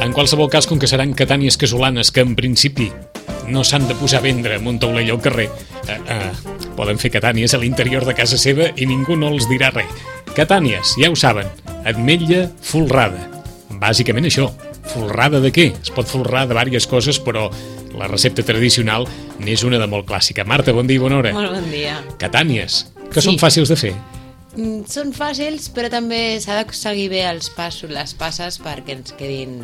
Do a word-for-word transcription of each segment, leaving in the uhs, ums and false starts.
En qualsevol cas, com que seran catànies casolanes que en principi no s'han de posar a vendre en un taulell al carrer, eh, eh, poden fer catànies a l'interior de casa seva i ningú no els dirà res. Catànies, ja ho saben, ametlla folrada. Bàsicament això, folrada de què? Es pot folrar de diverses coses, però la recepta tradicional n'és una de molt clàssica. Marta, bon dia i bona hora. Molt bon dia. Catànies, que Sí. són fàcils de fer. Mm, Són fàcils, però també s'ha de seguir bé els passos, les passes perquè ens quedin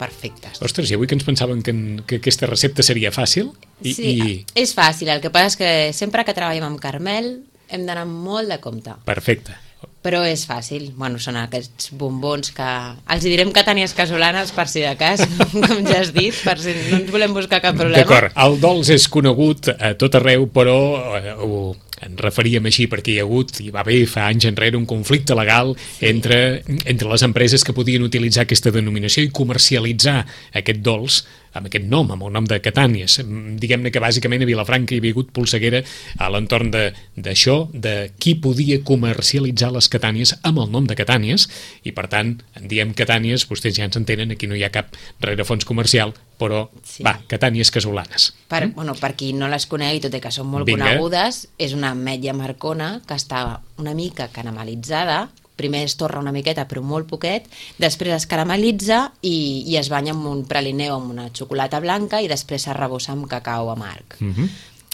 perfectes. Ostres, i avui que ens pensaven que, que aquesta recepta seria fàcil? I, Sí, i... és fàcil. El que passa és que sempre que treballem amb Carmel hem d'anar molt de compte. Perfecte. Però és fàcil. Bueno, són aquests bombons que... Els hi direm catànies casolanes per si de cas, com ja has dit, per si no ens volem buscar cap problema. D'acord, el dolç és conegut a tot arreu, però eh, ho, en referíem així perquè hi ha hagut, hi va haver fa anys enrere un conflicte legal sí. entre, entre les empreses que podien utilitzar aquesta denominació i comercialitzar aquest dolç amb aquest nom, amb el nom de Catànies. Diguem-ne que bàsicament a Vilafranca hi havia hagut polseguera a l'entorn d'això, de, de qui podia comercialitzar les Catànies amb el nom de Catànies, i per tant, en diem Catànies, vostès ja ens entenen, aquí no hi ha cap rerefons comercial, però, sí. va, Catànies casolanes. Per, Mm? bueno, per qui no les conegui, tot i que són molt Vinga. conegudes, és una ametlla marcona que està una mica caramelitzada. Primer es torra una miqueta, però molt poquet, després es caramelitza i, i es banya amb un praliné o amb una xocolata blanca i després s'arrebossa amb cacau amarg. Mm -hmm.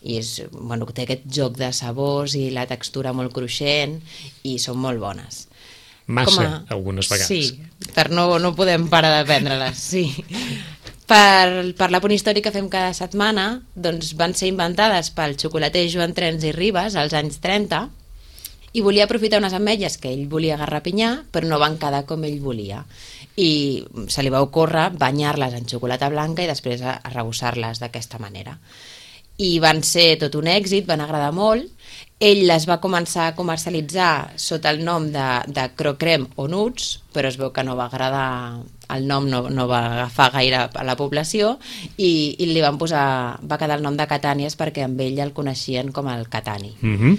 I és, bueno, té aquest joc de sabors i la textura molt cruixent i són molt bones. Massa, a... algunes vegades. Sí, per no, no podem parar de prendre-les, sí. Per, per la punt històric que fem cada setmana, doncs van ser inventades pel xocolater Joan Trens i Ribes als anys trenta i volia aprofitar unes ametlles que ell volia garrapinyar, però no van quedar com ell volia. I se li va ocórrer banyar-les en xocolata blanca i després arrebossar-les d'aquesta manera. I van ser tot un èxit, van agradar molt. Ell les va començar a comercialitzar sota el nom de, de Crocrem o Nuts, però es veu que no va agradar, el nom no, no va agafar gaire a la població i, i li van posar, va quedar el nom de Catànies perquè amb ell el coneixien com el Catani. Mm -hmm.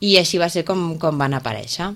I així va ser com, com van aparèixer.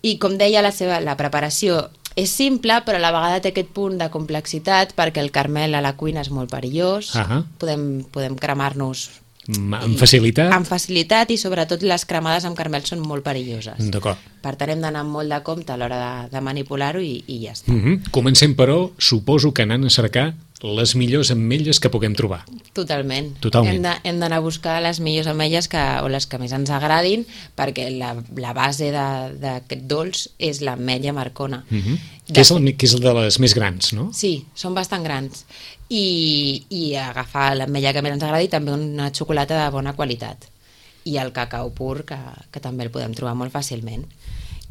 I com deia, la, seva, la preparació és simple, però a la vegada té aquest punt de complexitat perquè el Carmel a la cuina és molt perillós, uh -huh. podem, podem cremar-nos amb facilitat. Amb facilitat i sobretot les cremades amb Carmel són molt perilloses. D'acord. Per tant hem d'anar molt de compte a l'hora de, de manipular-ho i, i ja està. Uh -huh. Comencem, però, suposo que anant a cercar les millors ametlles que puguem trobar. Totalment. Totalment. Hem d'anar a buscar les millors ametlles que, o les que més ens agradin, perquè la, la base d'aquest dolç és l'ametlla marcona. Uh -huh. que, és el, que és el de les més grans, no? Sí, són bastant grans. I, i agafar l'ametlla que més ens agradi i també una xocolata de bona qualitat. I el cacau pur, que, que també el podem trobar molt fàcilment.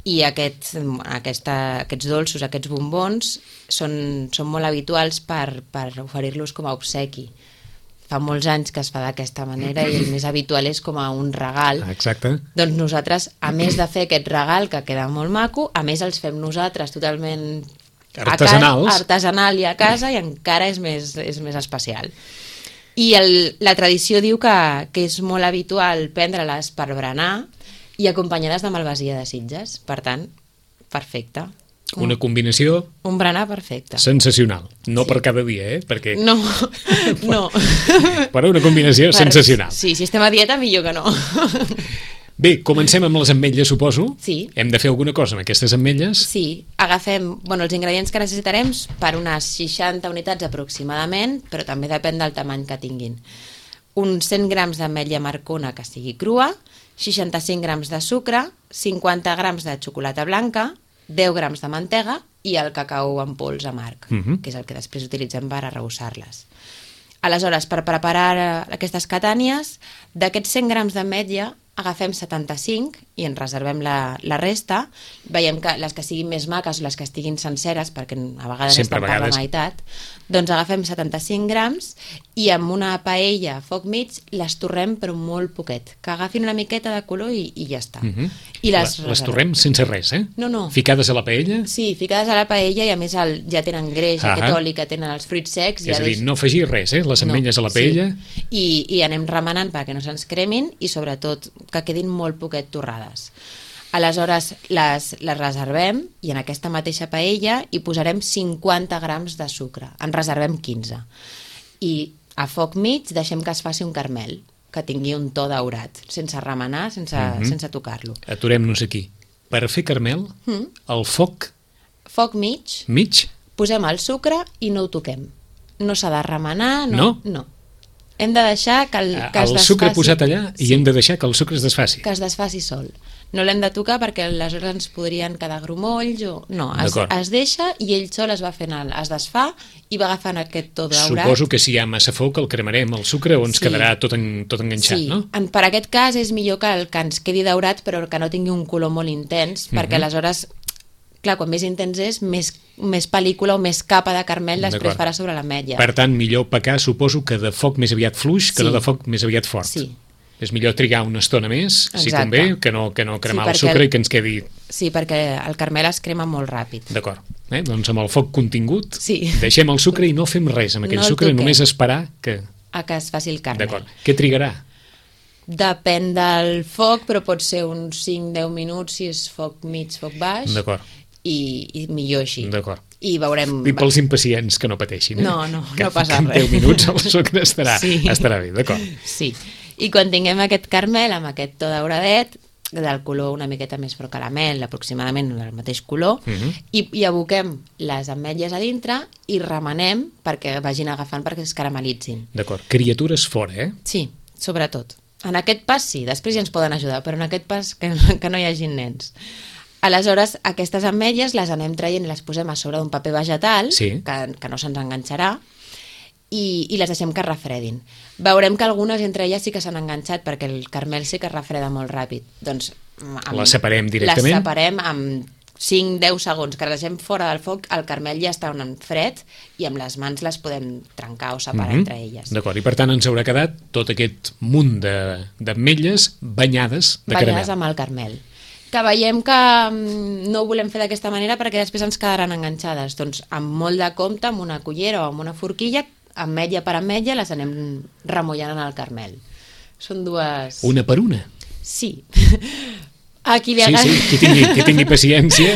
I aquest, aquesta, aquests dolços, aquests bombons, són, són molt habituals per, per oferir-los com a obsequi. Fa molts anys que es fa d'aquesta manera i el més habitual és com a un regal. Exacte. Doncs nosaltres, a més de fer aquest regal, que queda molt maco, a més els fem nosaltres totalment artesanals. Casa, artesanal i a casa, i encara és més, és més especial. I el, la tradició diu que, que és molt habitual prendre-les per berenar i acompanyades de malvasia de Sitges. Per tant, perfecte. Una combinació... Un berenar perfecte. Sensacional. No sí. per cada dia, eh? Perquè... No, no. Però una combinació per... sensacional. Sí, si estem a dieta, millor que no. Bé, comencem amb les ametlles, suposo. Sí. Hem de fer alguna cosa amb aquestes ametlles? Sí, agafem, bueno, els ingredients que necessitarem per unes seixanta unitats aproximadament, però també depèn del tamany que tinguin. Uns cent grams d'ametlla marcona que sigui crua, seixanta-cinc grams de sucre, cinquanta grams de xocolata blanca, deu grams de mantega i el cacau en pols amarg, uh -huh. que és el que després utilitzem per arrebossar-les. Aleshores, per preparar aquestes catànies, d'aquests cent grams d'ametlla agafem setanta-cinc i en reservem la, la resta. Veiem que les que siguin més maques o les que estiguin senceres, perquè a vegades Sempre estan per vegades. la meitat, doncs agafem setanta-cinc grams i amb una paella a foc mig les torrem però molt poquet, que agafin una miqueta de color i, i ja està. Uh -huh. I les, les torrem sense res, eh? No, no. Ficades a la paella? Sí, ficades a la paella i a més el, ja tenen greix, ah aquest oli que tenen els fruits secs. És ja a dir, no afegir res, eh? Les ametlles no, a la paella. Sí. I, I anem remenant perquè no se'ns cremin i sobretot que quedin molt poquet torrades. Aleshores les, les reservem i en aquesta mateixa paella hi posarem cinquanta grams de sucre. En reservem quinze. I a foc mig deixem que es faci un caramel, que tingui un to daurat, sense remenar, sense, mm-hmm. sense tocar-lo. Aturem-nos aquí. Per fer caramel, mm. el foc... Foc mig. Mig. Posem el sucre i no ho toquem. No s'ha de remenar. No? No? No. Hem de deixar que el, que es el desfaci. sucre posat allà i sí. hem de deixar que el sucre es desfaci. Que es desfaci sol. No l'hem de tocar perquè aleshores ens podrien quedar grumolls o... No, es, es deixa i ell sol es va fent el, es desfà i va agafant aquest to daurat. Suposo que si hi ha massa foc el cremarem el sucre o ens sí. quedarà tot, en, tot enganxat, sí. no? En, per aquest cas és millor que, el, que ens quedi daurat però que no tingui un color molt intens, mm-hmm. perquè aleshores, clar, quan més intens és, més, més pel·lícula o més capa de caramel després farà sobre l'ametlla. Per tant, millor pecar, suposo, que de foc més aviat fluix que sí. no de foc més aviat fort. Sí. És millor trigar una estona més, Exacte. si convé, que no, que no cremar sí, el sucre el... i que ens quedi... Sí, perquè el caramel es crema molt ràpid. D'acord. Eh? Doncs amb el foc contingut sí. deixem el sucre i no fem res amb aquell no sucre, només esperar que... A que es faci el caramel. D'acord. Què trigarà? Depèn del foc, però pot ser uns cinc a deu minuts si és foc mig, foc baix. D'acord. I, i millor així. D'acord. I veurem... I pels impacients que no pateixin. Eh? No, no, que, no passa que res. en deu minuts el sucre estarà, sí. estarà bé, d'acord. Sí. I quan tinguem aquest caramel amb aquest to dauradet, del color una miqueta més pro caramel, aproximadament del mateix color, uh-huh. i, i aboquem les ametlles a dintre i remenem perquè vagin agafant perquè es caramelitzin. D'acord. Criatures fora, eh? Sí, sobretot. En aquest pas sí, després ja ens poden ajudar, però en aquest pas que, que no hi hagin nens. Aleshores, aquestes ametlles les anem traient i les posem a sobre d'un paper vegetal, sí. que, que no se'ns enganxarà, i, i les deixem que refredin. Veurem que algunes entre elles sí que s'han enganxat perquè el caramel sí que es refreda molt ràpid. Doncs amb, les separem directament? Les separem amb cinc a deu segons, que les deixem fora del foc, el caramel ja està en fred i amb les mans les podem trencar o separar mm-hmm. entre elles. D'acord, i per tant ens haurà quedat tot aquest munt d'ametlles banyades de caramel. Banyades amb el caramel. Que veiem que no ho volem fer d'aquesta manera perquè després ens quedaran enganxades. Doncs amb molt de compte, amb una cullera o amb una forquilla, ametlla per ametlla, les anem remullant en el caramel. Són dues... Una per una? Sí. A qui li sí, sí, qui tingui, qui tingui paciència.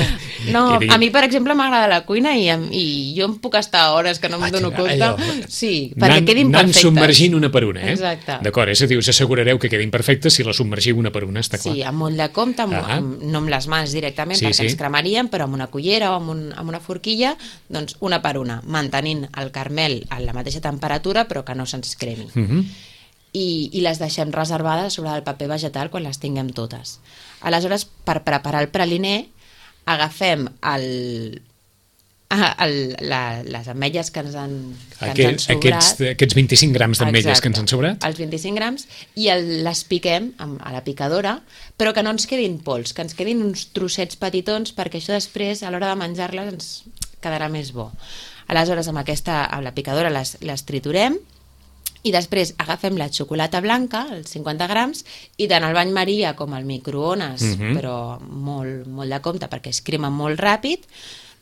No, tingui... a mi, per exemple, m'agrada la cuina i, i jo em puc estar hores que no em dono compte. Allò... Sí, perquè quedin perfectes. Anant submergint una per una, eh? Exacte. D'acord, és a dir, us assegurareu que quedin perfectes si la submergiu una per una, està clar. Sí, amb molt de compte, amb, ah. amb, no amb les mans directament, sí, perquè sí. ens cremaríem, però amb una cullera o amb, un, amb una forquilla, doncs una per una, mantenint el caramel a la mateixa temperatura, però que no se'ns cremi. Uh-huh. I, i les deixem reservades sobre el paper vegetal quan les tinguem totes. Aleshores, per preparar el praliner, agafem el, el, la, les ametlles que ens han, que Aquest, ens han sobrat. Aquests, aquests vint-i-cinc grams d'ametlles que ens han sobrat. Els vint-i-cinc grams, i el, les piquem amb, a la picadora, però que no ens quedin pols, que ens quedin uns trossets petitons, perquè això després, a l'hora de menjar-les, ens quedarà més bo. Aleshores, amb, aquesta, amb la picadora les, les triturem, i després agafem la xocolata blanca, els cinquanta grams, i tant al bany maria com al microones, uh-huh. però molt, molt de compte perquè es crema molt ràpid,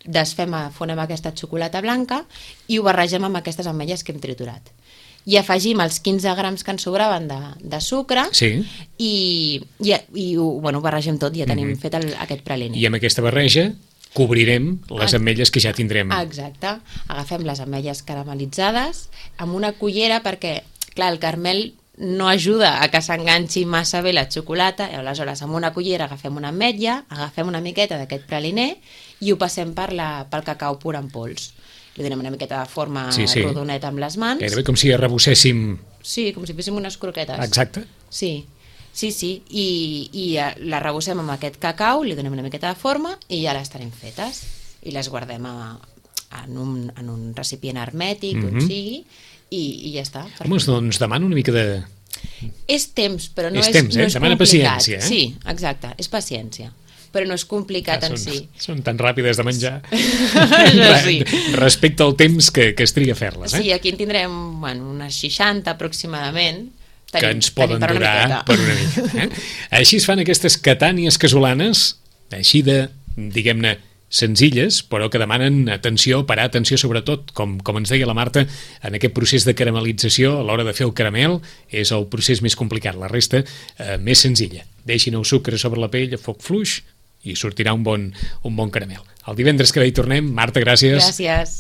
desfem, fonem aquesta xocolata blanca i ho barregem amb aquestes ametlles que hem triturat. I afegim els quinze grams que ens sobraven de, de sucre sí. i, i, i ho, bueno, ho barregem tot, ja tenim uh-huh. fet el, aquest praliner. I amb aquesta barreja cobrirem les ametlles que ja tindrem. Exacte. Agafem les ametlles caramelitzades amb una cullera perquè, clar, el caramel no ajuda a que s'enganxi massa bé la xocolata, i aleshores amb una cullera agafem una ametlla, agafem una miqueta d'aquest praliner i ho passem per la, pel cacau pur en pols. Li donem una miqueta de forma sí, sí. rodoneta amb les mans. Gairebé com si arrebosséssim... Sí, com si féssim unes croquetes. Exacte. Sí. Sí, sí, i, i la rebossem amb aquest cacau, li donem una miqueta de forma i ja les tenim fetes. I les guardem a, en, un, en un recipient hermètic, mm-hmm. on sigui, i, i ja està. Home, doncs demana una mica de... És temps, però no és, és, temps, no eh? és demana complicat. Paciència, eh? Sí, exacte, és paciència. Però no és complicat ah, en són, si. Són tan ràpides de menjar. sí. Respecte al temps que, que es triga a fer-les. Eh? Sí, aquí en tindrem bueno, unes seixanta aproximadament, Tenim, que ens poden per durar una per una mica. Eh? Així es fan aquestes catànies casolanes, així de, diguem-ne, senzilles, però que demanen atenció, parar atenció sobretot, com, com ens deia la Marta, en aquest procés de caramelització, a l'hora de fer el caramel, és el procés més complicat, la resta eh, més senzilla. Deixin el sucre sobre la pell a foc fluix i sortirà un bon, un bon caramel. El divendres que ve hi tornem. Marta, gràcies. Gràcies.